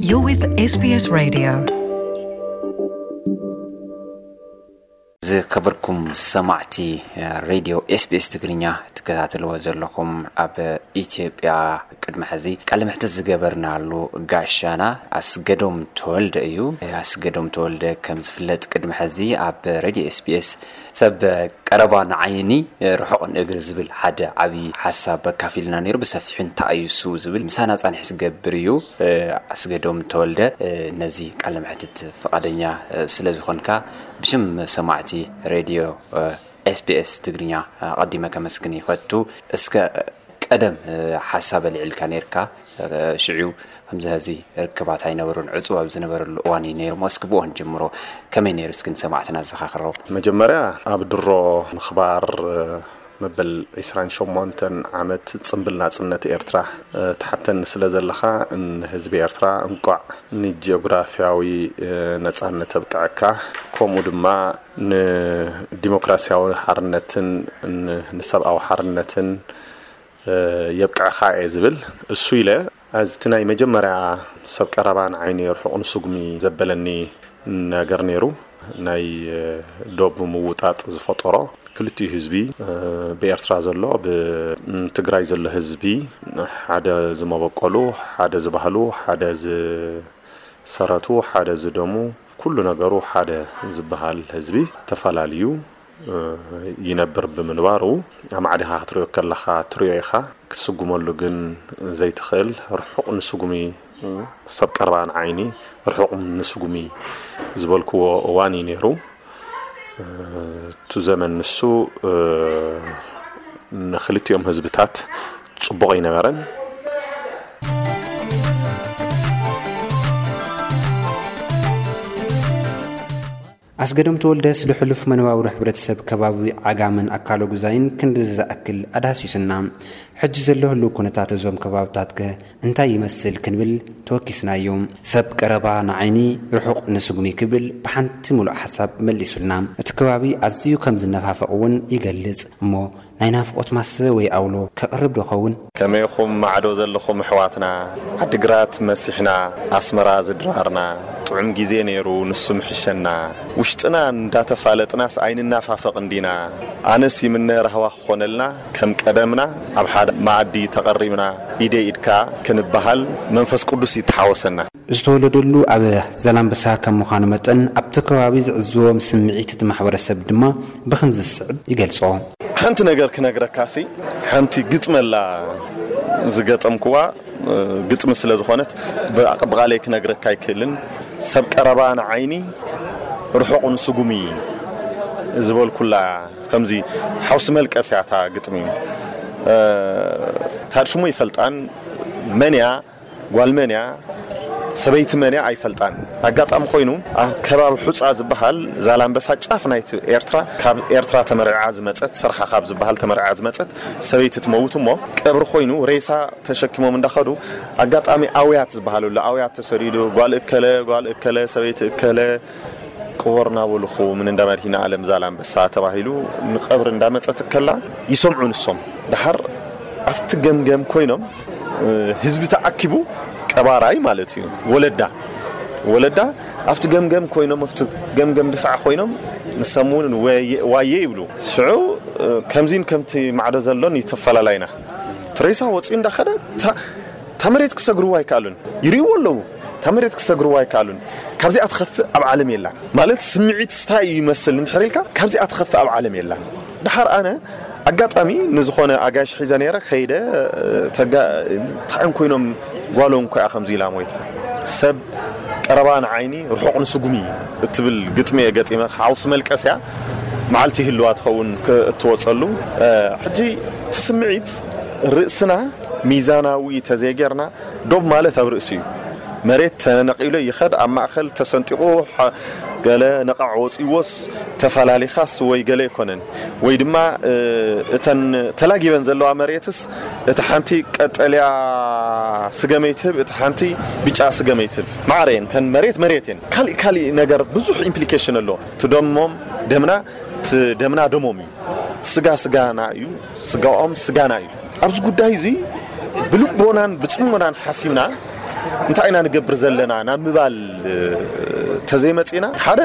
You're with S B S Radio. ዝከበርኩም ሰማዕቲ ሬድዮ ኤስቢኤስ ትግርኛ ትከታተልዎ ዘለኹም፣ ኣብ ኢትዮጵያ ቅድሚ ሕዚ ቃለ መሕትት ዝገበርናሉ ጋሻና ኣስገዶም ተወልደ እዩ። ኣስገዶም ተወልደ ከም ዝፍለጥ ቅድሚ ሕዚ ኣብ ሬድዮ ኤስቢኤስ ሰብ ቀረባ ንዓይኒ ርሑቕ ንእግሪ ዝብል ሓደ ዓብዪ ሓሳብ ኣካፊልና ነይሩ። ብሰፊሑ እንታይ እዩ እሱ ዝብል ምሳና ጻንሒ ዝገብር እዩ። ኣስገዶም ተወልደ፣ ነዚ ቃለ መሕትት ፍቓደኛ ስለ ዝኾንካ ብሽም ሰማዕቲ ሬድዮ ኤስቢኤስ ትግርኛ ኣቐዲመ ከመስግን ይፈቱ። እስከ ቀደም ሓሳብ ኣልዒልካ ነይርካ፣ ሽዑ ከምዚ ሕዚ ርክባት ኣይነበሩን፣ ዕጹው ኣብ ዝነበረሉ እዋን እዩ ነይሩ። እስኪ ብእዋን ጀምሮ ከመይ ነይሩ? እስኪ ንሰማዕትና ዘኻኽሮ። መጀመርያ ኣብ ድሮ ምኽባር መበል ዕስራን ሸሞንተን ዓመት ጽምብል ናጽነት ኤርትራ ትሓተኒ ስለ ዘለኻ፣ ንህዝቢ ኤርትራ እንቋዕ ንጂኦግራፍያዊ ነጻነት ኣብቅዐካ፣ ከምኡ ድማ ንዲሞክራስያዊ ሓርነትን ን-፣ ንሰብኣዊ ሓርነትን የብቅዐኻ እየ ዝብል። እሱ ኢለ፣ እዚ እቲ ናይ መጀመርያ ሰብ ቀረባ ንዓይኒ ርሑቕ ንስጉሚ ዘበለኒ ነገር ነይሩ። ናይ ዶብ ምውጣጥ ዝፈጠሮ፣ ክልቲኡ ህዝቢ፣ ብኤርትራ ዘሎ፣ ብትግራይ ዘሎ ህዝቢ ሓደ ዝመበቆሉ፣ ሓደ ዝባህሉ፣ ሓደ ዝሰረቱ፣ ሓደ ዝደሙ፣ ኩሉ ነገሩ ሓደ ዝበሃል ህዝቢ ተፈላልዩ ይነብር ብምንባሩ፣ ኣማዕዲኻ ክትሪኦ ከለኻ ትሪኦ ኢኻ፣ ክትስጉመሉ ግን ዘይትኽእል፣ ርሑቕ ንስጉሚ፣ ሰብ ቀረባ ንዓይኒ ርሑቕ ንስጉሚ ዝበልክዎ እዋን እዩ ነይሩ። እቲ ዘመን ንሱ ንክልቲኦም ህዝብታት ጽቡቕ ኣይነበረን። ኣስገዶም ተወልደ ስለ ሕሉፍ መነባብሮ ሕብረተሰብ ከባቢ ዓጋመን ኣካለ ጉዛይን ክንድዚ ዝኣክል ኣዳህሲሱና። ሕጂ ዘሎ ህልው ኩነታት እዞም ከባብታትከ እንታይ ይመስል ክንብል ተወኪስናዮ። ሰብ ቀረባ ንዓይኒ ርሑቕ ንስጉሚ ክብል ብሓንቲ ምሉእ ሓሳብ መሊሱልና። እቲ ከባቢ ኣዝዩ ከም ዝነፋፈቕ እውን ይገልጽ። እሞ ናይ ናፍቖት ማሰ ወይ ኣውሎ ከቕርብ ዶ ኸውን? ከመይኹም ማዕዶ ዘለኹም ኣሕዋትና? ዓዲግራት መሲሕና ኣስመራ ዝድራርና፣ ጥዑም ግዜ ነይሩ ንሱ ምሕሸና። ውሽጥና እንዳተፋለጥናስ ኣይንናፋፈቕን ዲና? ኣነስ ይምነ ራህዋ ክኾነልና ከም ቀደምና፣ ኣብ ሓደ መኣዲ ተቐሪብና ኢደይ ኢድካ ክንበሃል መንፈስ ቅዱስ ይተሓወሰና። ዝተወለደሉ ኣብ ዛላምበሳ ከም ምዃኑ መጠን፣ ኣብቲ ከባቢ ዝዕዝዎም ስምዒት እቲ ማሕበረሰብ ድማ ብኸምዚ ዝስዕብ ይገልጾ። ሓንቲ ነገር ክነግረካሲ፣ ሓንቲ ግጥሚ ኣላ ዝገጠምኩዋ፣ ግጥሚ ስለ ዝኾነት ብኣ-፣ ብቓለይ ክነግረካ ኣይክእልን። ሰብ ቀረባ ንዓይኒ ርሑቕ ንስጉሚ ዝበልኩላ፣ ከምዚ ሓውሲ መልቀስ እያ እታ ግጥሚ። ታድ ሽሙ ይፈልጣን መን እያ ጓል መን እያ፣ ሰበይቲ መን እያ ኣይፈልጣን። ኣጋጣሚ ኮይኑ ኣብ ከባቢ ሑጻ ዝበሃል ዛላምበሳ ጫፍ ናይቲ ኤርትራ፣ ካብ ኤርትራ ተመርዓ ዝመጸት፣ ስርሓ ካብ ዝበሃል ተመርዓ ዝመጸት ሰበይቲ ትመውት እሞ፣ ቀብሪ ኮይኑ ሬሳ ተሸኪሞም እንዳኸዱ፣ ኣጋጣሚ ኣውያት ዝበሃለሉ፣ ኣውያት ተሰዲዱ፣ ጓል እከለ፣ ጓል እከለ፣ ሰበይቲ እከለ፣ ቅቦር እናበሉ ምን እንዳ መድሂና ኣለም ዛላምበሳ ተባሂሉ ንቀብሪ እንዳመጸት ከላ ይሰምዑ ንሶም። ደሓር ኣብቲ ገምገም ኮይኖም፣ እ፣ ህዝቢ ተኣኪቡ፣ ቀባራይ ማለት እዩ፣ ወለዳ፣ ወለዳ ኣብቲ ገምገም ኮይኖም፣ ኣብቲ ገምገም ድፋዕ ኮይኖም፣ ንሶም እውን ወየ-፣ ዋየ ይብሉ። ሽዑ፣ እ፣ ከምዚን ከምቲ ማዕዶ ዘሎን ይተፈላላይና። እቲ ሬሳ ወፂኡ እንዳኸደ፣ እታ፣ እታ መሬት ክሰግርዎ ኣይከኣሉን። ይርእይዎ ኣለዉ። እታ መሬት ክሰግርዎ ኣይከኣሉን። ካብዚኣ ትኸፍእ ኣብ ዓለም የላን። ማለት ስምዒት ስታይ እዩ ይመስል እንድሕር ኢልካ፣ ካብዚኣ ትኸፍእ ኣብ ዓለም የላን። ደሓር ኣነ ኣጋጣሚ ንዝኾነ ኣጋይሽ ሒዘ ነይረ፣ ከይደ፣ ተጋ-፣ ታዕን ኮይኖም ጓሎም እኮ እያ ከምዚ ኢላ ሞይታ። ሰብ ቀረባ ንዓይኒ ርሑቕ ንስጉሚ እትብል ግጥሚ እየ ገጢመ፣ ሓውሲ መልቀስ እያ። መዓልቲ ይህልዋ ትኸውን ክ-፣ እትወጸሉ። እ፣ ሕጂ እቲ ስምዒት ርእስና ሚዛናዊ ተዘይጌርና፣ ዶብ ማለት ኣብ ርእሲ እዩ። መሬት ተነቂሉ ይኸድ፣ ኣብ ማእኸል ተሰንጢቑ፣ ሓ-፣ ገለ ነቓዕ ወፂዎስ ተፈላሊኻስ ወይ ገለ ኣይኮነን። ወይ ድማ፣ እ፣ እተን ተላጊበን ዘለዋ መሬትስ፣ እቲ ሓንቲ ቀጠልያ ስገመይ ትህብ፣ እቲ ሓንቲ ብጫ ስገመይ ትህብ። ማዕረ እየን፣ እተን መሬት መሬት እየን። ካሊእ ካሊእ ነገር ብዙሕ ኢምፕሊኬሽን ኣለዎ። እቲ ደሞም ደምና፣ እቲ ደምና ደሞም እዩ። ስጋ ስጋና እዩ፣ ስጋኦም ስጋና እዩ። ኣብዚ ጉዳይ እዚ ብልቦናን ብጽሞናን ሓሲብና እንታይ ኢና ንገብር ዘለና ናብ ምባል ተዘይመፂና፣ ሓደ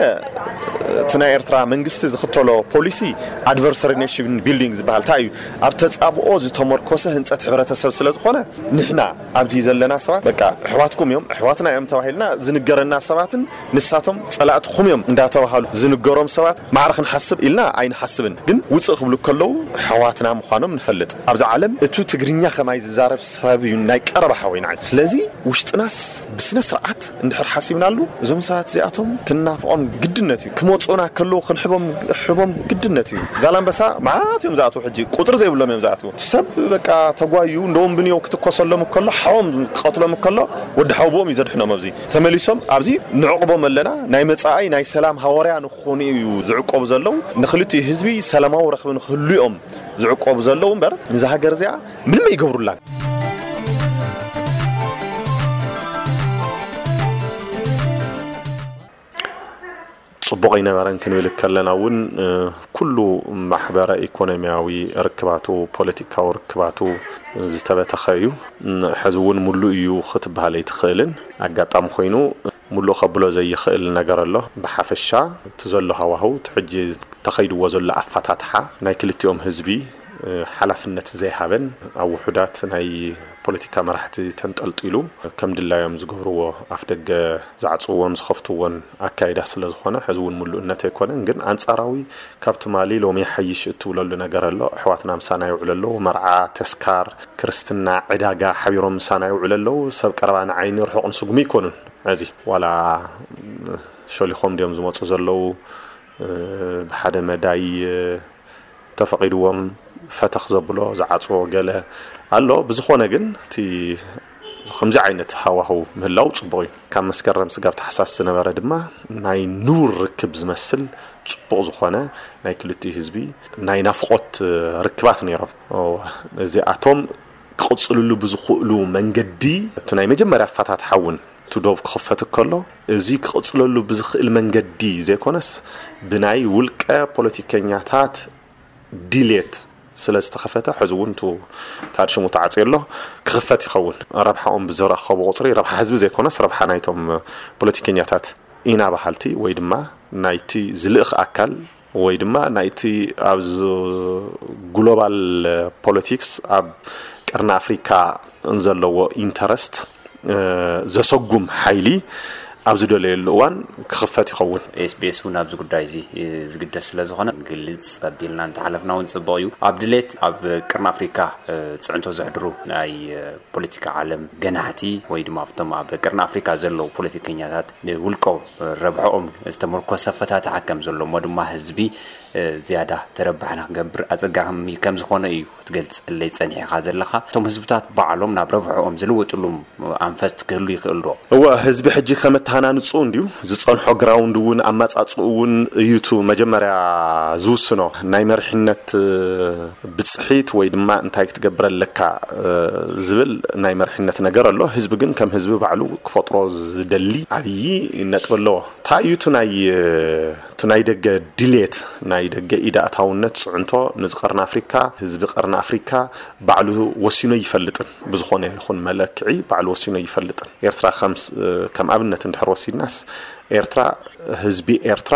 እቲ ናይ ኤርትራ መንግስቲ ዝኽተሎ ፖሊሲ ኣድቨርሰሪ ኔሽን ቢልዲንግ ዝበሃል እንታይ እዩ? ኣብ ተጻብኦ ዝተመርኮሰ ህንፀት ሕብረተሰብ ስለ ዝኾነ፣ ንሕና ኣብዚ ዘለና ሰባት በቃ ኣሕዋትኩም እዮም፣ ኣሕዋትና እዮም ተባሂልና ዝንገረና ሰባትን ንሳቶም ጸላእትኹም እዮም እንዳተባሃሉ ዝንገሮም ሰባት ማዕረ ክንሓስብ ኢልና ኣይንሓስብን። ግን ውፅእ ክብሉ ከለዉ ኣሕዋትና ምዃኖም ንፈልጥ። ኣብዚ ዓለም እቱ ትግርኛ ከማይ ዝዛረብ ሰብ እዩ ናይ ቀረባ ሓወይ ንዓይ። ስለዚ ውሽጥናስ ብስነ ስርዓት እንድሕር ሓሲብናሉ፣ እዞም ሰባት እዚኣቶም ክንናፍቖም ግድነት እዩ። ክመፁና ከለዉ ክንሕቦም ሕቦም ግድነት እዩ። ዛላምበሳ መዓት እዮም ዝኣትዉ፣ ሕጂ ቁጥሪ ዘይብሎም እዮም ዝኣትዉ። እቲ ሰብ በቃ ተጓዩ እንደውም ብንዮ ክትኮሰሎም ከሎ ሓዎም ክቐትሎም ከሎ ወዲ ሓውቦም እዩ ዘድሕኖም። ኣብዚ ተመሊሶም ኣብዚ ንዕቕቦም ኣለና። ናይ መጻኣይ ናይ ሰላም ሃዋርያ ንክኾኑ እዩ ዝዕቆቡ ዘለዉ። ንክልቲኡ ህዝቢ ሰላማዊ ረኽቢ ንክህሉ እዮም ዝዕቆቡ ዘለዉ እምበር ንዛ ሃገር እዚኣ ምንም ኣይገብሩላን። ጽቡቕ ኣይነበረን ክንብል ከለና እውን፣ እ፣ ኩሉ ማሕበረ ኢኮኖሚያዊ ርክባቱ፣ ፖለቲካዊ ርክባቱ ዝተበተኸ እዩ። እ፣ ሕዚ እውን ሙሉእ እዩ ክትበሃል ኣይትኽእልን። ኣጋጣሚ ኮይኑ ሙሉእ ከብሎ ዘይኽእል ነገር ኣሎ። ብሓፈሻ እቲ ዘሎ ሃዋህው፣ እቲ ሕጂ ተኸይድዎ ዘሎ ኣፈታትሓ ናይ ክልቲኦም ህዝቢ፣ እ፣ ሓላፍነት ዘይሃበን ኣብ ውሑዳት ናይ ፖለቲካ መራሕቲ ተንጠልጢሉ ከም ድላዮም ዝገብርዎ፣ ኣፍ ደገ ዝዓጽውዎን ዝኸፍትዎን ኣካይዳ ስለ ዝኾነ፣ ሕዚ እውን ምሉእነት ኣይኮነን። ግን ኣንጻራዊ ካብ ትማሊ ሎሚ ይሓይሽ እትብለሉ ነገር ኣሎ። ኣሕዋትና ምሳና ይውዕሉ ኣለዉ። መርዓ፣ ተስካር፣ ክርስትና፣ ዕዳጋ ሓቢሮም ምሳና ይውዕሉ ኣለዉ። ሰብ ቀረባ ንዓይኒ ርሑቕ ንስጉሚ ኣይኮኑን። እዚ ዋላ ሸሊኾም ድዮም ዝመጹ ዘለዉ፣ እ፣ ብሓደ መዳይ፣ እ፣ ተፈቒድዎም ፈተኽ ዘብሎ ዝዓጽዎ ገለ ኣሎ። ብዝኾነ ግን እቲ ከምዚ ዓይነት ሃዋህው ምህላው ጽቡቕ እዩ። ካብ መስከረም ስጋብ ታሕሳስ ዝነበረ ድማ ናይ ንቡር ርክብ ዝመስል ጽቡቕ ዝኾነ ናይ ክልቲኡ ህዝቢ ናይ ናፍቖት ርክባት ነይሮም። እዚኣቶም ክቕጽልሉ ብዝኽእሉ መንገዲ እቲ ናይ መጀመርያ ኣፈታትሓ እውን እቲ ዶብ ክኽፈት ከሎ፣ እዚ ክቕጽለሉ ብዝኽእል መንገዲ ዘይኮነስ ብናይ ውልቀ ፖለቲከኛታት ድሌት ስለ ዝተኸፈተ፣ ሕዚ እውን እቱ ታድ ሽሙ ተዓፅዮ ኣሎ፣ ክኽፈት ይኸውን። ረብሓኦም ብዝረኸቡ ቁፅሪ ረብሓ ህዝቢ ዘይኮነስ ረብሓ ናይቶም ፖለቲከኛታት ኢና በሃልቲ ወይ ድማ ናይቲ ዝልእኽ ኣካል ወይ ድማ ናይቲ ኣብዚ ግሎባል ፖለቲክስ ኣብ ቀርኒ ኣፍሪካ ዘለዎ ኢንተረስት፣ እ፣ ዘሰጉም ሓይሊ ኣብ ዝደለየሉ እዋን ክኽፈት ይኸውን። ኤስቢኤስ እውን ኣብዚ ጉዳይ እዚ፣ እ፣ ዝግደስ ስለ ዝኾነ ግልጽ ኣቢልና እንተሓለፍና እውን ጽቡቕ እዩ። ኣብ ድሌት ኣብ ቀርኒ ኣፍሪካ፣ እ፣ ጽዕንቶ ዘሕድሩ ናይ፣ እ፣ ፖለቲካ ዓለም ገናሕቲ ወይ ድማ ኣብቶም ኣብ ቀርኒ ኣፍሪካ ዘለዉ ፖለቲከኛታት ንውልቆም ረብሐኦም ዝተመርኮሰ ኣፈታትሓ ከም ዘሎ እሞ ድማ ህዝቢ፣ እ፣ ዝያዳ ተረባሕና ክገብር ኣጸጋሚ ከም ዝኾነ እዩ ክትገልጸለይ ጸኒሕኻ ዘለኻ። እቶም ህዝብታት ባዕሎም ናብ ረብሐኦም ዝልወጥሉ ኣንፈት ክህሉ ይኽእል ዶ? እወ፣ ህዝቢ ሕጂ ከም ኣተሃናንጽኡ እንድዩ ዝጸንሖ ግራውንድ እውን ኣመጻጽኡ እውን እዩ እቲ መጀመርያ ዝውስኖ። ናይ መሪሕነት፣ እ፣ ብጽሒት ወይ ድማ እንታይ ክትገብር ኣለካ፣ እ፣ ዝብል ናይ መሪሕነት ነገር ኣሎ። ህዝቢ ግን ከም ህዝቢ ባዕሉ ክፈጥሮ ዝደሊ ዓብዪ ነጥቢ ኣለዎ። እንታይ እዩ እቲ ናይ፣ እቲ ናይ ደገ ድሌት፣ ናይ ደገ ኢድ ኣእታውነት ጽዕንቶ ንዚ ቀርኒ ኣፍሪካ፣ ህዝቢ ቀርኒ ኣፍሪካ ባዕሉ ወሲኑ ኣይፈልጥን። ብዝኾነ ይኹን መለክዒ ባዕሉ ወሲኑ ኣይፈልጥን። ኤርትራ ከም ስ-፣ ከም ኣብነት እንድሕር ወሲድናስ፣ ኤርትራ፣ ህዝቢ ኤርትራ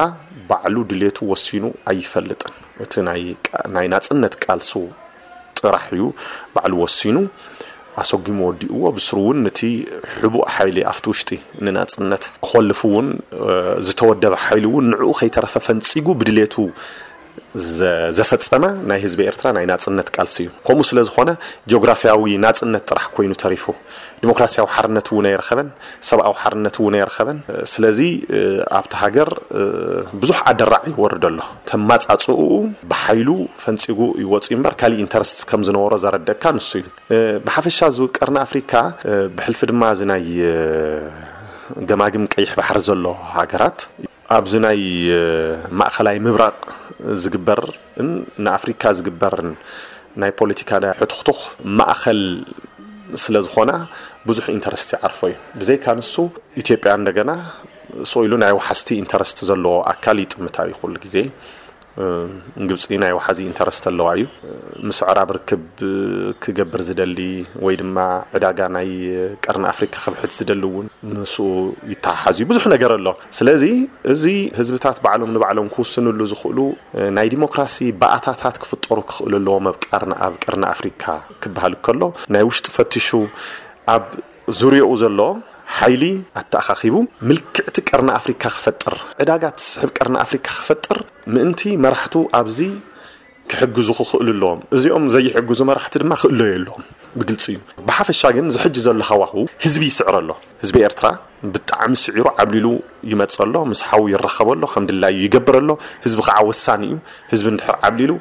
ባዕሉ ድሌቱ ወሲኑ ኣይፈልጥን። እቲ ናይ ቃ-፣ ናይ ናጽነት ቃልሱ ጥራሕ እዩ ባዕሉ ወሲኑ ኣሰጒሙ ወዲእዎ። ብስሩ እውን ነቲ ሕቡእ ሓይሊ ኣብቲ ውሽጢ ንናጽነት ክኾልፍ እውን፣ እ፣ ዝተወደበ ሓይሊ እውን ንዕኡ ከይተረፈ ፈንጺጉ ብድሌቱ ዘ-፣ ዘፈጸመ ናይ ህዝቢ ኤርትራ ናይ ናጽነት ቃልሲ እዩ። ከምኡ ስለ ዝኾነ ጂኦግራፍያዊ ናጽነት ጥራሕ ኮይኑ ተሪፉ፣ ዲሞክራስያዊ ሓርነት እውን ኣይረኸበን፣ ሰብኣዊ ሓርነት እውን ኣይረኸበን። ስለዚ፣ እ፣ ኣብቲ ሃገር፣ እ፣ ብዙሕ ኣደራዕ ይወርድ ኣሎ። ተማጻጽኡ ብሓይሉ ፈንጺጉ ይወጽእ እምበር ካሊእ ኢንተረስት ከም ዝነበሮ ዘረደካ ንሱ እዩ። እ፣ ብሓፈሻ እዚ ቀርኒ ኣፍሪካ፣ እ፣ ብሕልፊ ድማ እዚ ናይ፣ እ፣ ገማግም ቀይሕ ባሕሪ ዘሎ ሃገራት ኣብዚ ናይ፣ እ፣ ማእኸላይ ምብራቕ ዝግበርን ንኣፍሪካ ዝግበርን ናይ ፖለቲካ ናይ ሕቱኽቱኽ ማእኸል ስለ ዝኾና ብዙሕ ኢንተረስት ይዓርፎ እዩ። ብዘይካ ንሱ ኢትዮጵያ እንደገና ስቕ ኢሉ ናይ ወሓዝቲ ኢንተረስት ዘለዎ ኣካል ይጥምታ እዩ ኩሉ ግዜ። ግብፂ ናይ ወሓዚ ኢንተረስት ኣለዋ እዩ። ምስ ኣዕራብ ርክብ ክገብር ዝደሊ ወይ ድማ ዕዳጋ ናይ ቀርኒ ኣፍሪካ ክብሕት ዝደሊ እውን ምስኡ ይተሓሓዝ እዩ። ብዙሕ ነገር ኣሎ። ስለዚ እዚ ህዝብታት ባዕሎም ንባዕሎም ክውስንሉ ዝኽእሉ ናይ ዲሞክራሲ ባእታታት ክፍጠሩ ክኽእሉ ኣለዎም ኣብ ቀርኒ ኣብ ቀርኒ ኣፍሪካ ክበሃል ከሎ ናይ ውሽጢ ፈቲሹ ኣብ ዙርያኡ ዘሎ ሓይሊ ኣተኣኻኺቡ ምልክዕቲ ቀርኒ ኣፍሪካ ክፈጥር፣ ዕዳጋ ትስሕብ ቀርኒ ኣፍሪካ ክፈጥር ምእንቲ መራሕቱ ኣብዚ ክሕግዙ ክኽእሉ ኣለዎም። እዚኦም ዘይሕግዙ መራሕቲ ድማ ክእለዩ ኣለዎም። ብግልፂ እዩ። ብሓፈሻ ግን ዝሕጂ ዘሎ ሃዋህው ህዝቢ ይስዕር ኣሎ። ህዝቢ ኤርትራ ብጣዕሚ ስዒሩ ዓብሊሉ ይመጽእ ኣሎ። ምስ ሓው ይራኸብ ኣሎ፣ ከም ድላዩ ይገብር ኣሎ። ህዝቢ ከዓ ወሳኒ እዩ። ህዝቢ እንድሕር ዓብሊሉ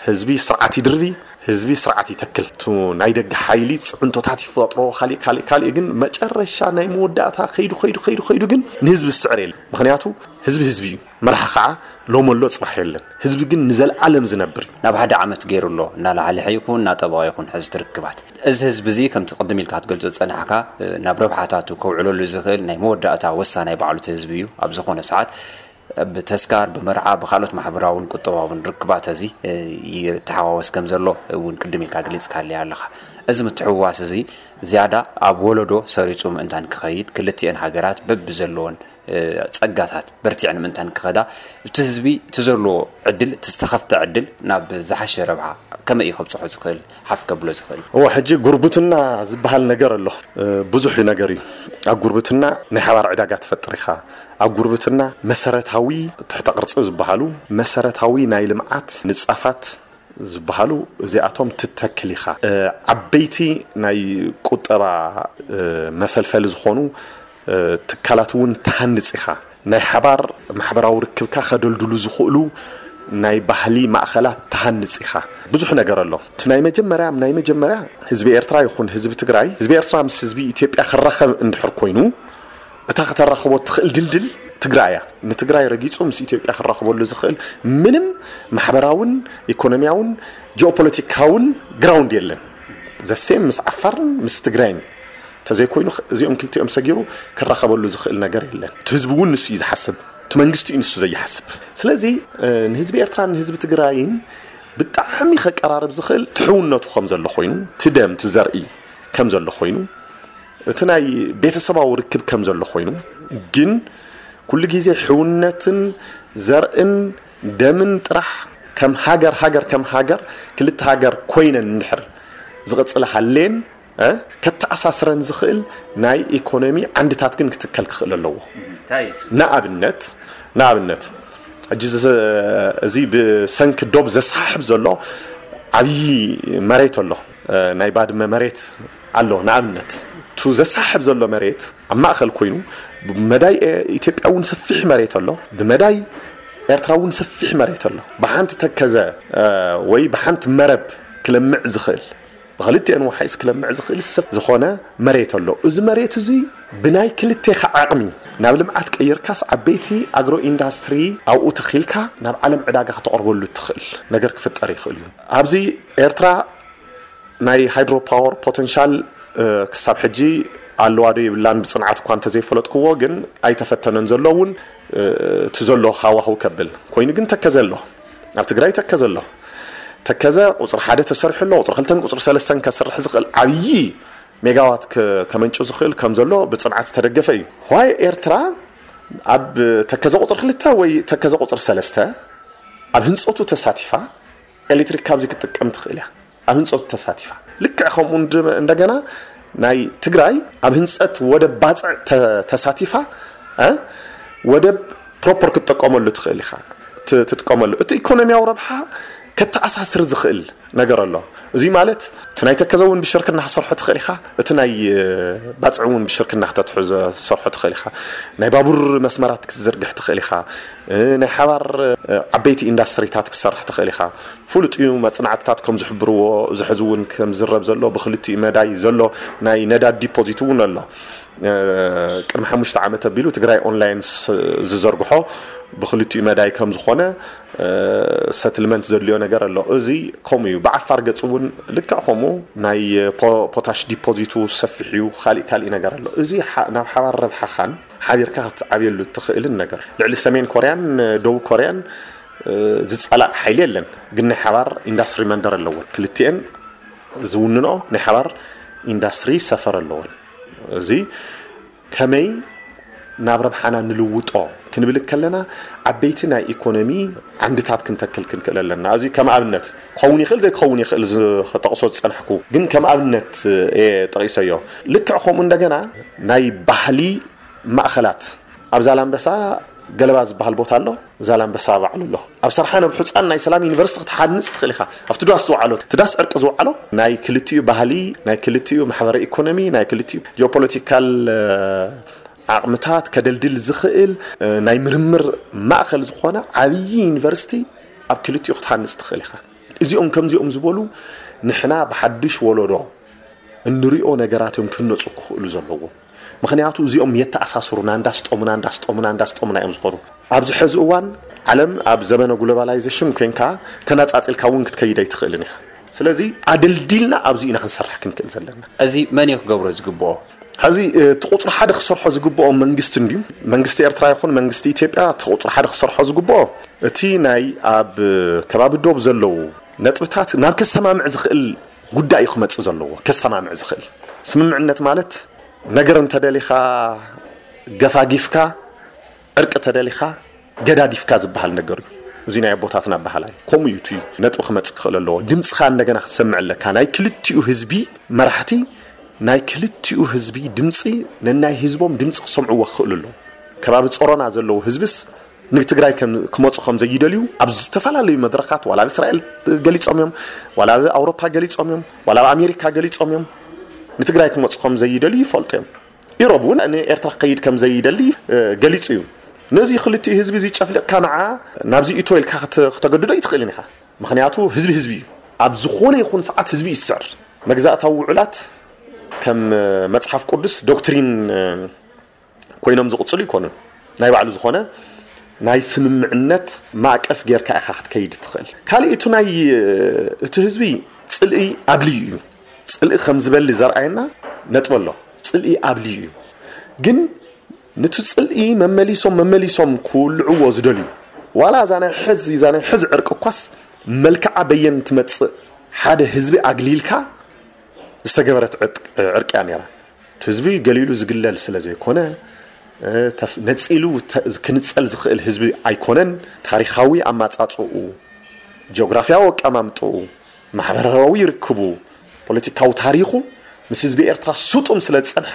ህዝቢ ስርዓት ይድርቢ፣ ህዝቢ ስርዓት ይተክል። እቱ ናይ ደገ ሓይሊ ፅዕንቶታት ይፈጥሮ፣ ካሊእ ካሊእ ካሊእ፣ ግን መጨረሻ ናይ መወዳእታ ከይዱ ከይዱ ከይዱ ከይዱ ግን ንህዝቢ ዝስዕር የለን። ምክንያቱ ህዝቢ ህዝቢ እዩ። መራሒ ከዓ ሎም ኣሎ ፅባሕ የለን። ህዝቢ ግን ንዘለኣለም ዝነብር እዩ። ናብ ሓደ ዓመት ገይሩ ኣሎ እናላዕለ ይኹን እናጠበቐ ይኹን ሕዚ ትርክባት እዚ ህዝቢ እዚ ከምቲ ቅድም ኢልካ ክትገልጾ ዝጸናሕካ ናብ ረብሓታቱ ከውዕለሉ ዝኽእል ናይ መወዳእታ ወሳናይ ባዕሉ እቲ ህዝቢ እዩ። ኣብ ዝኾነ ሰዓት ብተስካር ብመርዓ ብካልኦት ማሕበራውን ቁጠባውን ርክባት እዚ ይተሓዋወስ ከም ዘሎ እውን ቅድም ኢልካ ገሊጽካለይ ኣለኻ። እዚ ምትሕውዋስ እዚ ዝያዳ ኣብ ወለዶ ሰሪጹ ምእንታን ክኸይድ ክልቲአን ሃገራት በብዘለዎን ጸጋታት በርቲዐን ምእንታን ክኸዳ እቲ ህዝቢ እቲ ዘለዎ ዕድል እቲ ዝተኸፍተ ዕድል ናብ ዝሓሸ ረብሓ ከመይ እዩ ከብፅሖ ዝኽእል ሓፍ ከብሎ ዝኽእል? እዎ ሕጂ ጉርብትና ዝበሃል ነገር ኣሎ። ብዙሕ ነገር እዩ ኣብ ጉርብትና ናይ ሓባር ዕዳጋ ትፈጥር ኢኻ። ኣብ ጉርብትና መሰረታዊ ትሕተ ቅርፂ ዝበሃሉ መሰረታዊ ናይ ልምዓት ንፃፋት ዝበሃሉ እዚኣቶም ትተክል ኢኻ። ዓበይቲ ናይ ቁጠባ መፈልፈሊ ዝኾኑ ትካላት እውን ትሃንፅ ኢኻ። ናይ ሓባር ማሕበራዊ ርክብካ ከደልድሉ ዝኽእሉ ናይ ባህሊ ማእኸላት ትሃንፅ ኢኻ። ብዙሕ ነገር ኣሎ። እቲ ናይ መጀመርያ ናይ መጀመርያ ህዝቢ ኤርትራ ይኹን ህዝቢ ትግራይ ህዝቢ ኤርትራ ምስ ህዝቢ ኢትዮጵያ ክራኸብ እንድሕር ኮይኑ እታ ከተራኽቦ ትኽእል ድልድል ትግራይ እያ። ንትግራይ ረጊፁ ምስ ኢትዮጵያ ክራኽበሉ ዝኽእል ምንም ማሕበራውን ኢኮኖሚያውን ጂኦፖለቲካውን ግራውንድ የለን። ዘሴም ምስ ዓፋርን ምስ ትግራይን ተዘይኮይኑ እዚኦም ክልቲኦም ሰጊሩ ክራኸበሉ ዝኽእል ነገር የለን። እቲ ህዝቢ እውን ንሱ እዩ ዝሓስብ፣ እቲ መንግስቲ እዩ ንሱ ዘይሓስብ። ስለዚ ንህዝቢ ኤርትራን ንህዝቢ ትግራይን ብጣዕሚ ከቀራርብ ዝኽእል ትሕውነቱ ከም ዘሎ ኮይኑ፣ ትደም ትዘርኢ ከም ዘሎ ኮይኑ፣ እቲ ናይ ቤተሰባዊ ርክብ ከም ዘሎ ኮይኑ፣ ግን ኩሉ ግዜ ሕውነትን ዘርእን ደምን ጥራሕ ከም ሃገር ሃገር ከም ሃገር ክልተ ሃገር ኮይነን እንድሕር ዝቕፅላ ሃሌን ከተኣሳስረን ዝኽእል ናይ ኢኮኖሚ ዓንድታት ግን ክትከል ክኽእል ኣለዎ። ንኣብነት ንኣብነት ሕጂ እዚ ብሰንኪ ዶብ ዘሰሓሕብ ዘሎ ዓብዪ መሬት ኣሎ። ናይ ባድመ መሬት ኣሎ። ንኣብነት እቱ ዘሰሓሕብ ዘሎ መሬት ኣብ ማእኸል ኮይኑ ብመዳይ ኢትዮጵያ እውን ሰፊሕ መሬት ኣሎ፣ ብመዳይ ኤርትራ እውን ሰፊሕ መሬት ኣሎ። ብሓንቲ ተከዘ ወይ ብሓንቲ መረብ ክለምዕ ዝኽእል ብክልቲአን ወሓይስ ክለምዕ ዝኽእል ሰብ ዝኾነ መሬት ኣሎ። እዚ መሬት እዚ ብናይ ክልቴኻ ዓቕሚ ናብ ልምዓት ቀይርካስ ዓበይቲ ኣግሮ ኢንዳስትሪ ኣብኡ ተኺልካ ናብ ዓለም ዕዳጋ ከተቕርበሉ እትኽእል ነገር ክፍጠር ይኽእል እዩ። ኣብዚ ኤርትራ ናይ ሃይድሮ ፓወር ፖተንሻል ክሳብ ሕጂ ኣለዋ ዶ የብላን ብፅንዓት እኳ እንተዘይፈለጥክዎ ግን ኣይተፈተነን ዘሎ እውን እቲ ዘሎ ሃዋህው ከብል ኮይኑ ግን ተከዘ ኣሎ። ኣብ ትግራይ ተከዘ ኣሎ። ተከዘ ቁፅሪ ሓደ ተሰሪሑ ኣሎ። ቁፅሪ ክልተን ቁፅሪ ሰለስተን ከስርሕ ዝኽእል ዓብዪ ሜጋዋት ከመንጩ ዝኽእል ከም ዘሎ ብፅንዓት ዝተደገፈ እዩ። ዋይ ኤርትራ ኣብ ተከዘ ቁፅሪ ክልተ ወይ ተከዘ ቁፅሪ ሰለስተ ኣብ ህንፀቱ ተሳቲፋ ኤሌክትሪክ ካብዚ ክትጥቀም ትኽእል እያ። ኣብ ህንፀቱ ተሳቲፋ ልክዕ ከምኡ እንደገና ናይ ትግራይ ኣብ ህንፀት ወደብ ባፅዕ ተሳቲፋ ወደብ ፕሮፐር ክትጥቀመሉ ትኽእል ኢኻ። ትጥቀመሉ እቲ ኢኮኖሚያዊ ረብሓ ከተኣሳስር ዝኽእል ነገር ኣሎ። እዚ ማለት እቲ ናይ ተከዘ እውን ብሽርክና ክሰርሖ ትኽእል ኢኻ። እቲ ናይ ባፅዕ እውን ብሽርክና ክተትሕዞ ክትሰርሖ ትኽእል ኢኻ። ናይ ባቡር መስመራት ክትዝርግሕ ትኽእል ኢኻ። ናይ ሓባር ዓበይቲ ኢንዳስትሪታት ክትሰርሕ ትኽእል ኢኻ። ፍሉጥ እዩ። መፅናዕትታት ከም ዝሕብርዎ እዚ ሕዚ እውን ከም ዝረብ ዘሎ ብክልቲኡ መዳይ ዘሎ ናይ ነዳድ ዲፖዚት እውን ኣሎ። ቅድሚ ሓሙሽተ ዓመት ኣቢሉ ትግራይ ኦንላይን ዝዘርግሖ ብክልቲኡ መዳይ ከም ዝኾነ ሰትልመንት ዘድልዮ ነገር ኣሎ። እዚ ከምኡ እዩ። ብዓፋር ገፅ እውን ልክዕ ከምኡ ናይ ፖታሽ ዲፖዚቱ ሰፊሕ እዩ። ካሊእ ካሊእ ነገር ኣሎ። እዚ ናብ ሓባር ረብሓኻን ሓቢርካ ክትዓብየሉ እትኽእልን ነገር ልዕሊ ሰሜን ኮርያን ደቡብ ኮርያን ዝጸላእ ሓይሊ የለን። ግን ናይ ሓባር ኢንዳስትሪ መንደር ኣለወን። ክልቲኤን ዝውንኖ ናይ ሓባር ኢንዳስትሪ ሰፈር ኣለወን። እዚ ከመይ ናብ ረብሓና ንልውጦ ክንብል ከለና፣ ዓበይቲ ናይ ኢኮኖሚ ዓንድታት ክንተክል ክንክእል ኣለና። እዚ ከም ኣብነት ክኸውን ይኽእል፣ ዘይክኸውን ይኽእል፣ ዝጠቕሶ ዝጸናሕኩ ግን ከም ኣብነት እየ ጠቒሰዮ። ልክዕ ከምኡ እንደገና ናይ ባህሊ ማእኸላት ኣብ ዛላምበሳ ገለባ ዝበሃል ቦታ ኣሎ። ዛላምበሳ ባዕሉ ኣሎ። ኣብ ሰርሓ ነብሑፃን ናይ ሰላም ዩኒቨርሲቲ ክትሓንፅ ትኽእል ኢኻ። ኣብቲ ዳስ ዝወዓሎ፣ እቲ ዳስ ዕርቂ ዝወዓሎ ናይ ክልቲኡ ባህሊ፣ ናይ ክልቲኡ ማሕበረ ኢኮኖሚ፣ ናይ ክልቲኡ ጂኦፖለቲካል ዓቕምታት ከደልድል ዝኽእል ናይ ምርምር ማእኸል ዝኾነ ዓብዪ ዩኒቨርሲቲ ኣብ ክልቲኡ ክትሃንፅ ትኽእል ኢኻ። እዚኦም ከምዚኦም ዝበሉ ንሕና ብሓድሽ ወለዶ እንሪኦ ነገራት እዮም ክህነፁ ክኽእሉ ዘለዎም። ምኽንያቱ እዚኦም የተኣሳስሩና፣ እንዳስጠሙና እንዳስጠሙና እንዳስጠሙና እዮም ዝኾኑ። ኣብዚ ሕዚ እዋን ዓለም ኣብ ዘመነ ግሎባላይዜሽን ኮንካ ተነፃፂልካ እውን ክትከይድ ኣይትኽእልን ኢኻ። ስለዚ ኣደልዲልና ኣብዚ ኢና ክንሰርሕ ክንክእል ዘለና። እዚ መን እዩ ክገብሮ ዝግብኦ? ሕዚ እቲ ቁፅሪ ሓደ ክሰርሖ ዝግብኦ መንግስቲ እንድዩ። መንግስቲ ኤርትራ ይኹን መንግስቲ ኢትዮጵያ እቲ ቁፅሪ ሓደ ክሰርሖ ዝግብኦ እቲ ናይ ኣብ ከባቢ ዶብ ዘለዉ ነጥብታት ናብ ከሰማምዕ ዝኽእል ጉዳይ እዩ ክመፅእ ዘለዎ። ከሰማምዕ ዝኽእል ስምምዕነት ማለት ነገር እንተደሊኻ ገፋጊፍካ፣ ዕርቂ ተደሊኻ ገዳዲፍካ ዝበሃል ነገር እዩ። እዚ ናይ ኣቦታትና ኣበሃላይ ከምኡ እዩ። እቲ ነጥቢ ክመፅእ ክኽእል ኣለዎ። ድምፅኻ እንደገና ክትሰምዕ ኣለካ። ናይ ክልቲኡ ህዝቢ መራሕቲ ናይ ክልቲኡ ህዝቢ ድምፂ፣ ነናይ ህዝቦም ድምፂ ክሰምዕዎ ክኽእሉ ኣለዎ። ከባቢ ጾሮና ዘለዉ ህዝብስ ንትግራይ ከም ክመፁ ከም ዘይደልዩ ኣብ ዝተፈላለዩ መድረኻት ዋላ ኣብ እስራኤል ገሊፆም እዮም፣ ዋላ ኣብ ኣውሮፓ ገሊፆም እዮም፣ ዋላ ኣብ ኣሜሪካ ገሊፆም እዮም። ንትግራይ ክመፁ ከም ዘይደልዩ ይፈልጡ እዮም። ኢሮብ እውን ንኤርትራ ክኸይድ ከም ዘይደሊ ገሊፁ እዩ። ነዚ ክልቲኡ ህዝቢ እዚ ጨፍሊቕካ ንዓ ናብዚ እቶ ኢልካ ክተ- ክተገድዶ ኣይትኽእልን ኢኻ። ምኽንያቱ ህዝቢ ህዝቢ እዩ። ኣብ ዝኾነ ይኹን ሰዓት ህዝቢ ይስዕር። መግዛእታዊ ውዕላት ከም መፅሓፍ ቅዱስ ዶክትሪን ኮይኖም ዝቕፅሉ ይኮኑን። ናይ ባዕሉ ዝኾነ ናይ ስምምዕነት ማእቀፍ ጌርካ ኢኻ ክትከይድ ትኽእል። ካልእ እቲ ናይ እቲ ህዝቢ ፅልኢ ኣብልዩ እዩ። ፅልኢ ከም ዝበሊ ዘርኣየና ነጥቢ ኣሎ። ፅልኢ ኣብልዩ እዩ። ግን ነቲ ፅልኢ መመሊሶም መመሊሶም ክውልዕዎ ዝደልዩ፣ ዋላ እዛ ናይ ሕዚ እዛ ናይ ሕዚ ዕርቂ እኳስ መልክዓ በየን ትመፅእ ሓደ ህዝቢ ኣግሊልካ ዝተገበረት ዕርቂ- ዕርቂ እያ ነይራ። እቲ ህዝቢ ገሊሉ ዝግለል ስለ ዘይኮነ፣ እ፣ ተፍ- ነፂሉ ተ- ክንፀል ዝኽእል ህዝቢ ኣይኮነን። ታሪኻዊ ኣማፃፅኡ፣ ጂኦግራፊያዊ ኣቀማምጥኡ፣ ማሕበራዊ ርክቡ፣ ፖለቲካዊ ታሪኹ ምስ ህዝቢ ኤርትራ ስጡም ስለ ዝፀንሐ፣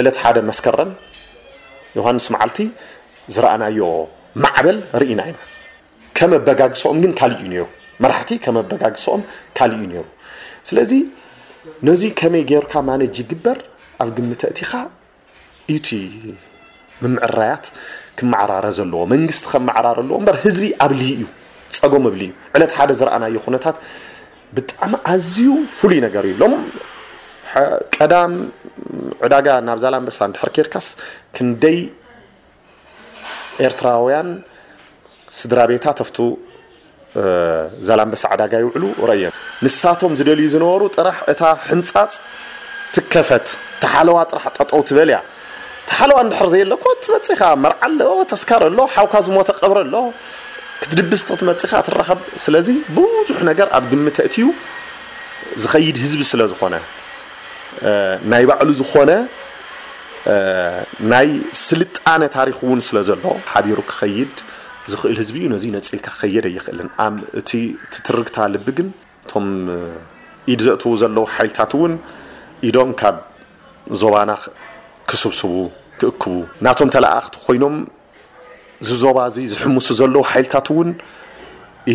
ዕለት ሓደ መስከረም ዮሃንስ መዓልቲ ዝረኣናዮ ማዕበል ርኢና ኢና። ከመበጋግሰኦም ግን ካልእ እዩ ነይሩ። መራሕቲ ከመበጋግሰኦም ካልእ እዩ ነይሩ። ስለዚ ነዚ ከመይ ጌርካ ማነጅ ይግበር ኣብ ግምት ኣእቲኻ እዩ እቲ ምምዕራያት ክመዓራረ ዘለዎ። መንግስቲ ከመዓራረ ኣለዎ እምበር ህዝቢ ኣብልዩ እዩ፣ ጸገም ኣብልዩ እዩ። ዕለት ሓደ ዝረኣናዮ ኩነታት ብጣዕሚ ኣዝዩ ፍሉይ ነገር እዩ። ሎም ቀዳም ዕዳጋ ናብ ዛላምበሳ እንድሕር ኬድካስ ክንደይ ኤርትራውያን ስድራ ቤታት ኣብቱ ዛላምበሳ ዕዳጋ ይውዕሉ ረእየን። ንሳቶም ዝደልዩ ዝነበሩ ጥራሕ እታ ሕንጻጽ ትከፈት፣ ተሓለዋ ጥራሕ ጠጠው ትበል እያ። ተሓለዋ እንድሕር ዘየለ እኮ ትመጽእ ኢኻ፣ መርዓ ኣሎ፣ ተስካር ኣሎ፣ ሓውካ ዝሞተ ቀብሪ ኣሎ፣ ክትድብስ ክትመጽእ ኢኻ ትራኸብ። ስለዚ ብዙሕ ነገር ኣብ ግምት ኣእትዩ ዝኸይድ ህዝቢ ስለ ዝኾነ፣ ናይ ባዕሉ ዝኾነ ናይ ስልጣነ ታሪኽ እውን ስለ ዘሎ ሓቢሩ ክኸይድ ዝኽእል ህዝቢ እዩ። ነዚ ነፂልካ ክኸየድ ኣይኽእልን። ኣብ እቲ ትትርግታ ልቢ ግን እቶም ኢድ ዘእትዉ ዘለዉ ሓይልታት እውን ኢዶም ካብ ዞባና ክስብስቡ ክእክቡ ናቶም ተለኣእኽቲ ኮይኖም ዝዞባ እዚ ዝሕምሱ ዘለዉ ሓይልታት እውን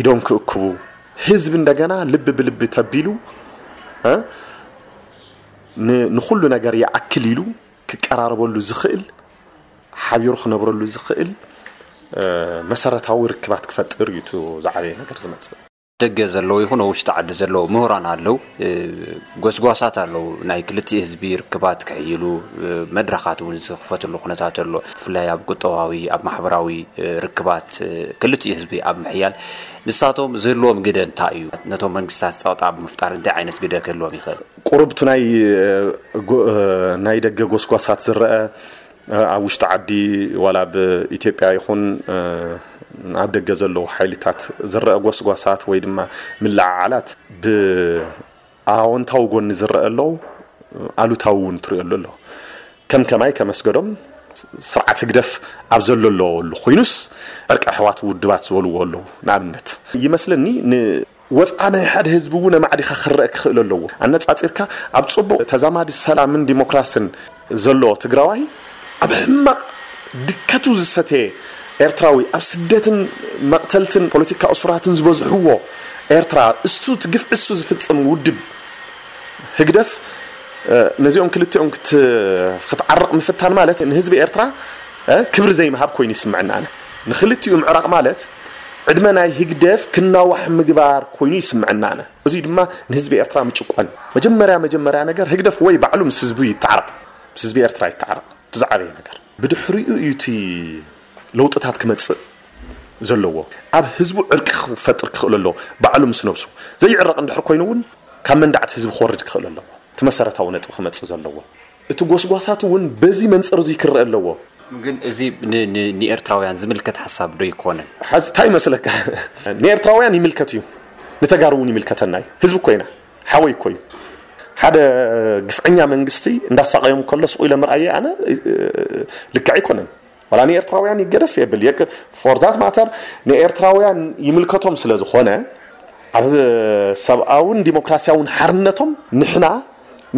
ኢዶም ክእክቡ ህዝቢ እንደገና ልቢ ብልቢ ተቢሉ እ ንኩሉ ነገር ይኣክል ኢሉ ክቀራረበሉ ዝኽእል ሓቢሩ ክነብረሉ ዝኽእል መሰረታዊ ርክባት ክፈጥር እዩ። እቲ ዝዓበየ ነገር ዝመፅእ ደገ ዘለዉ ይኹን ውሽጢ ዓዲ ዘለዉ ምሁራን ኣለዉ፣ ጎስጓሳት ኣለዉ፣ ናይ ክልቲኡ ህዝቢ ርክባት ክሕይሉ መድረኻት እውን ዝኽፈትሉ ኩነታት ኣሎ። ብፍላይ ኣብ ቁጠባዊ ኣብ ማሕበራዊ ርክባት ክልቲኡ ህዝቢ ኣብ ምሕያል ንሳቶም ዝህልዎም ግደ እንታይ እዩ? ነቶም መንግስታት ፀቕጣ ብምፍጣር እንታይ ዓይነት ግደ ክህልዎም ይኽእል? ቁሩብ እቲ ናይ ናይ ደገ ጎስጓሳት ዝረአ ኣብ ውሽጢ ዓዲ ዋላ ኣብ ኢትዮጵያ ይኹን ኣብ ደገ ዘለዉ ሓይልታት ዝረአ ጎስጓሳት ወይ ድማ ምልዕዓላት ብኣወንታዊ ጎኒ ዝረአ ኣለዉ፣ ኣሉታዊ እውን ትሪኦ ኣሎ። ከም ከማይ ከመስገዶም ስርዓት ህግደፍ ኣብ ዘለለሉ ኮይኑስ ዕርቂ ኣሕዋት ውድባት ዝበልዎ ኣለዉ። ንኣብነት ይመስለኒ ንወፅዓ ናይ ሓደ ህዝቢ እውን ኣማዕዲኻ ክረአ ክኽእል ኣለዎ። ኣነፃፂርካ ኣብ ፅቡቕ ተዛማዲ ሰላምን ዲሞክራስን ዘሎ ትግራዋይ ኣብ ሕማቕ ድከቱ ዝሰተየ ኤርትራዊ ኣብ ስደትን መቕተልትን ፖለቲካ እሱራትን ዝበዝሕዎ ኤርትራ እሱ እቲ ግፍዒ እሱ ዝፍፅም ውድብ ህግደፍ ነዚኦም ክልቲኦም ክትዓርቕ ምፍታን ማለት ንህዝቢ ኤርትራ ክብሪ ዘይምሃብ ኮይኑ ይስምዐና። ኣነ ንክልቲኡ ምዕራቕ ማለት ዕድመ ናይ ህግደፍ ክናዋሕ ምግባር ኮይኑ ይስምዐና። ኣነ እዚ ድማ ንህዝቢ ኤርትራ ምጭቆን። መጀመርያ መጀመርያ ነገር ህግደፍ ወይ ባዕሉ ምስ ህዝቡ ይተዓረቕ፣ ምስ ህዝቢ ኤርትራ ይተዓረቕ። ብዛዕበየ ነገር ብድሕሪኡ እዩ እቲ ለውጥታት ክመፅእ ዘለዎ። ኣብ ህዝቡ ዕርቂ ክፈጥር ክኽእል ኣለዎ። ባዕሉ ምስ ነብሱ ዘይዕረቕ እንድሕር ኮይኑ እውን ካብ መንዳዕቲ ህዝቢ ክወርድ ክኽእል ኣለዎ። እቲ መሰረታዊ ነጥቢ ክመፅእ ዘለዎ እቲ ጎስጓሳት እውን በዚ መንፅር እዚ ክረአ ኣለዎ። ግን እዚ ንኤርትራውያን ዝምልከት ሓሳብ ዶ ይኮነን? ሓዚ እንታይ ይመስለካ? ንኤርትራውያን ይምልከት እዩ፣ ንተጋሩ እውን ይምልከተና እዩ። ህዝቢ እኮ ኢና፣ ሓወይ እኮ እዩ። ሓደ ግፍዐኛ መንግስቲ እንዳሳቀዮም ከሎ ስቁ ኢለ ምርኣየ ኣነ ልክዕ ኣይኮነን። ዋላ ንኤርትራውያን ይገደፍ የብል የቅ for that matter ንኤርትራውያን ይምልከቶም ስለ ዝኾነ ኣብ ሰብኣውን ዲሞክራሲያውን ሓርነቶም ንሕና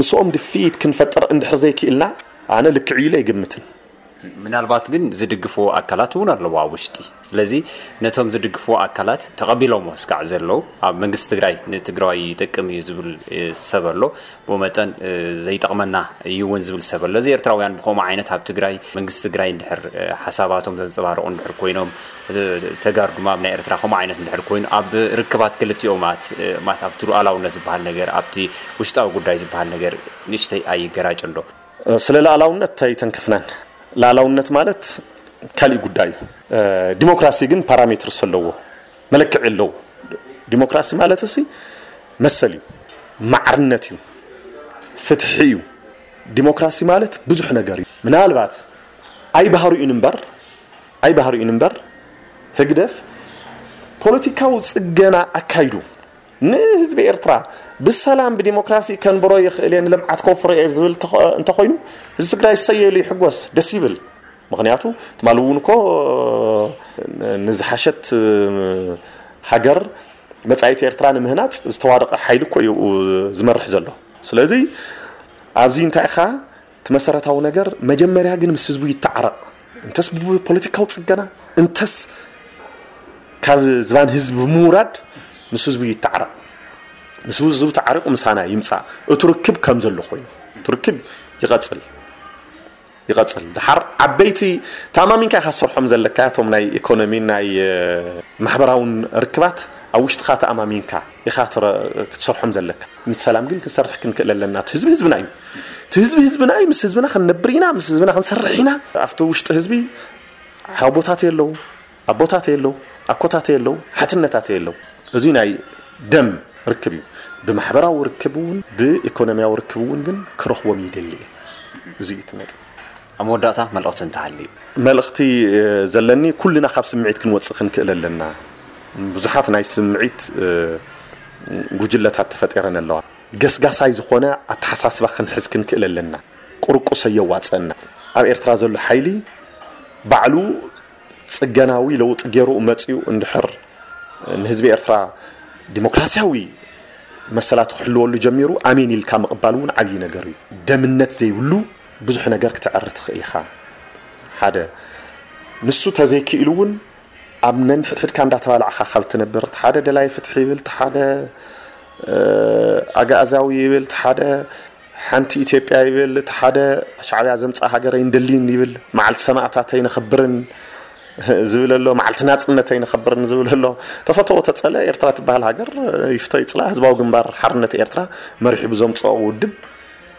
ምስኦም ድፍኢት ክንፈጥር እንድሕር ዘይክኢልና ኣነ ልክዕ ኢለ ኣይግምትን። ምናልባት ግን ዝድግፍዎ ኣካላት እውን ኣለዎ ኣብ ውሽጢ። ስለዚ ነቶም ዝድግፍዎ ኣካላት ተቐቢሎሞ እስካዕ ዘለዉ ኣብ መንግስቲ ትግራይ ንትግራዋይ ይጠቅም እዩ ዝብል ሰብ ኣሎ። ብኡ መጠን ዘይጠቕመና እዩ እውን ዝብል ሰብ ኣሎ። እዚ ኤርትራውያን ብከምኡ ዓይነት ኣብ ትግራይ መንግስቲ ትግራይ እንድሕር ሓሳባቶም ዘንፀባርቑ እንድሕር ኮይኖም ተጋሩ ድማ ኣብ ናይ ኤርትራ ከምኡ ዓይነት እንድሕር ኮይኑ ኣብ ርክባት ክልቲኦም ማለት ኣብቲ ሉዓላውነት ዝበሃል ነገር ኣብቲ ውሽጣዊ ጉዳይ ዝበሃል ነገር ንእሽተይ ኣይገራጭን ዶ? ስለ ላኣላውነት ኣይተንከፍናን። ላኣላውነት ማለት ካሊእ ጉዳይ እዩ። ዲሞክራሲ ግን ፓራሜትርስ ኣለዎ፣ መለክዒ ኣለዎ። ዲሞክራሲ ማለት እሲ መሰል እዩ፣ ማዕርነት እዩ፣ ፍትሒ እዩ። ዲሞክራሲ ማለት ብዙሕ ነገር እዩ። ምናልባት ኣይባህርኡን እምበር ኣይባህርኡን እምበር ህግደፍ ፖለቲካዊ ፅገና ኣካይዱ ንህዝቢ ኤርትራ ብሰላም ብዲሞክራሲ ከንብሮ ይኽእል እየ ንልምዓት ከውፍሮ እየ ዝብል እንተኾይኑ ህዝቢ ትግራይ እሰየሉ ይሕጎስ ደስ ይብል። ምክንያቱ ትማሊ እውን እኮ ንዝሓሸት ሃገር መፃኢት ኤርትራ ንምህናፅ ዝተዋደቐ ሓይሊ እኮ እዩ ዝመርሕ ዘሎ። ስለዚ ኣብዚ እንታይ ኢኻ እቲ መሰረታዊ ነገር መጀመርያ ግን ምስ ህዝቡ ይተዓረቕ። እንተስ ብፖለቲካዊ ፅገና እንተስ ካብ ዝባን ህዝቢ ብምውራድ ምስ ህዝቡ ይተዓረቕ። ምስ ህዝቡ ተዓሪቑ ምሳና ይምፃእ። እቲ ርክብ ከም ዘሎ ኮይኑ እቲ ርክብ ይቐፅል ይቐፅል። ድሓር ዓበይቲ ተኣማሚንካ ኢኻ ትሰርሖም ዘለካ እቶም ናይ ኢኮኖሚ ናይ ማሕበራውን ርክባት ኣብ ውሽጥኻ ተኣማሚንካ ኢኻ ክትሰርሖም ዘለካ። ምስ ሰላም ግን ክንሰርሕ ክንክእል ኣለና። እቲ ህዝቢ ህዝብና እዩ። እቲ ህዝቢ ህዝብና እዩ። ምስ ህዝብና ክንነብር ኢና፣ ምስ ህዝብና ክንሰርሕ ኢና። ኣብቲ ውሽጢ ህዝቢ ሓቦታት የለው፣ ኣቦታት የለው፣ ኣኮታት የለው፣ ሓትነታት የለው። እዚ ናይ ደም ርክብ እዩ። ብማሕበራዊ ርክብ እውን ብኢኮኖሚያዊ ርክብ እውን ግን ክረኽቦም ይደሊ እየ። እዚ እዩ እቲ ነጥቢ። ኣብ መወዳእታ መልእኽቲ እንተሃልዩ? መልእኽቲ ዘለኒ ኩልና ካብ ስምዒት ክንወፅእ ክንክእል ኣለና። ብዙሓት ናይ ስምዒት ጉጅለታት ተፈጢረን ኣለዋ። ገስጋሳይ ዝኾነ ኣተሓሳስባ ክንሕዝ ክንክእል ኣለና። ቁርቁስ ኣየዋፀና። ኣብ ኤርትራ ዘሎ ሓይሊ ባዕሉ ፅገናዊ ለውጢ ገይሩ መፂኡ እንድሕር ንህዝቢ ኤርትራ ዲሞክራሲያዊ መሰላት ክሕልወሉ ጀሚሩ ኣሜን ኢልካ ምቕባል እውን ዓብዪ ነገር እዩ። ደምነት ዘይብሉ ብዙሕ ነገር ክትዕሪ ትኽእል ኢኻ። ሓደ ንሱ ተዘይክኢሉ እውን ኣብ ነንሕድሕድካ እንዳተባላዕኻ ካብ ትነብር እቲ ሓደ ደላይ ፍትሒ ይብል፣ እቲ ሓደ ኣግኣዛዊ ይብል፣ እቲ ሓደ ሓንቲ ኢትዮጵያ ይብል፣ እቲ ሓደ ሻዕብያ ዘምፅኣ ሃገር ኣይንደልይን ይብል፣ መዓልቲ ሰማእታት ኣይነኽብርን ዝብል ኣሎ፣ መዓልቲ ናፅነት ኣይነኽብርን ዝብል ኣሎ። ተፈተዎ ተፀለ ኤርትራ ትበሃል ሃገር ይፍቶ ይፅላ ህዝባዊ ግንባር ሓርነት ኤርትራ መሪሑ ብዘምፅኦ ውድብ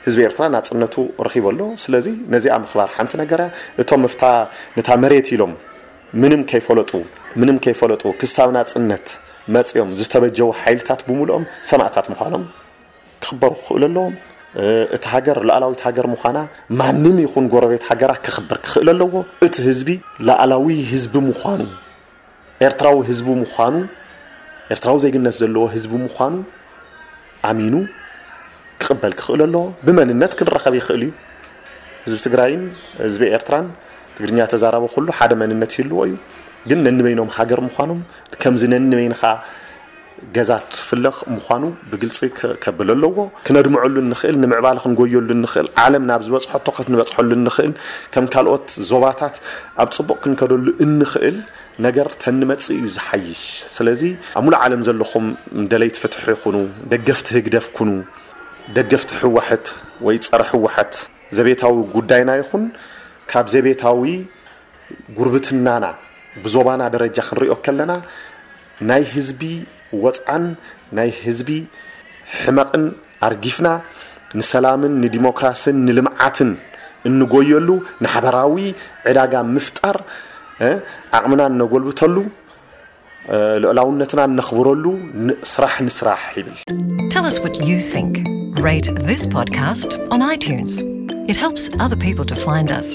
ህዝቢ ኤርትራ ናፅነቱ ረኺቡ ኣሎ። ስለዚ ነዚኣ ምኽባር ሓንቲ ነገር እያ። እቶም ምፍታ ነታ መሬት ኢሎም ምንም ከይፈለጡ ምንም ከይፈለጡ ክሳብ ናፅነት መፅኦም ዝተበጀዉ ሓይልታት ብምልኦም ሰማእታት ምዃኖም ክኽበሩ ክኽእሉ ኣለዎም። እቲ ሃገር ሉዓላዊት ሃገር ምዃና ማንም ይኹን ጎረቤት ሃገራት ከኽብር ክኽእል ኣለዎ። እቲ ህዝቢ ሉዓላዊ ህዝቢ ምዃኑ፣ ኤርትራዊ ህዝቢ ምዃኑ፣ ኤርትራዊ ዜግነት ዘለዎ ህዝቢ ምዃኑ ኣሚኑ ክቕበል ክኽእል ኣለዎ። ብመንነት ክንራኸብ ይኽእል እዩ። ህዝቢ ትግራይን ህዝቢ ኤርትራን፣ ትግርኛ ተዛራቢ ኩሉ ሓደ መንነት ይህልዎ እዩ። ግን ነንበይኖም ሃገር ምዃኖም፣ ከምዚ ነንበይንኻ ገዛ ትፍለኽ ምዃኑ ብግልፂ ከ- ከብል ኣለዎ። ክነድምዐሉ እንኽእል፣ ንምዕባለ ክንጎየሉ እንኽእል፣ ዓለም ናብ ዝበፅሐቶ ክትንበፅሐሉ እንኽእል፣ ከም ካልኦት ዞባታት ኣብ ፅቡቕ ክንከደሉ እንኽእል ነገር ተንመፅእ እዩ ዝሓይሽ። ስለዚ ኣብ ሙሉእ ዓለም ዘለኹም ደለይቲ ፍትሒ ይኹኑ፣ ደገፍቲ ህግደፍ ኩኑ፣ ደገፍቲ ህወሓት ወይ ፀረ ህወሓት፣ ዘቤታዊ ጉዳይና ይኹን ካብ ዘቤታዊ ጉርብትናና ብዞባና ደረጃ ክንሪኦ ከለና፣ ናይ ህዝቢ ወፅዓን ናይ ህዝቢ ሕመቕን ኣርጊፍና፣ ንሰላምን ንዲሞክራስን ንልምዓትን እንጎየሉ፣ ንሓበራዊ ዕዳጋ ምፍጣር ዓቕምና እነጎልብተሉ፣ ልዑላውነትና እነኽብረሉ ስራሕ ንስራሕ ይብል። Tell us what you think. Rate this podcast on iTunes. It helps other people to find us.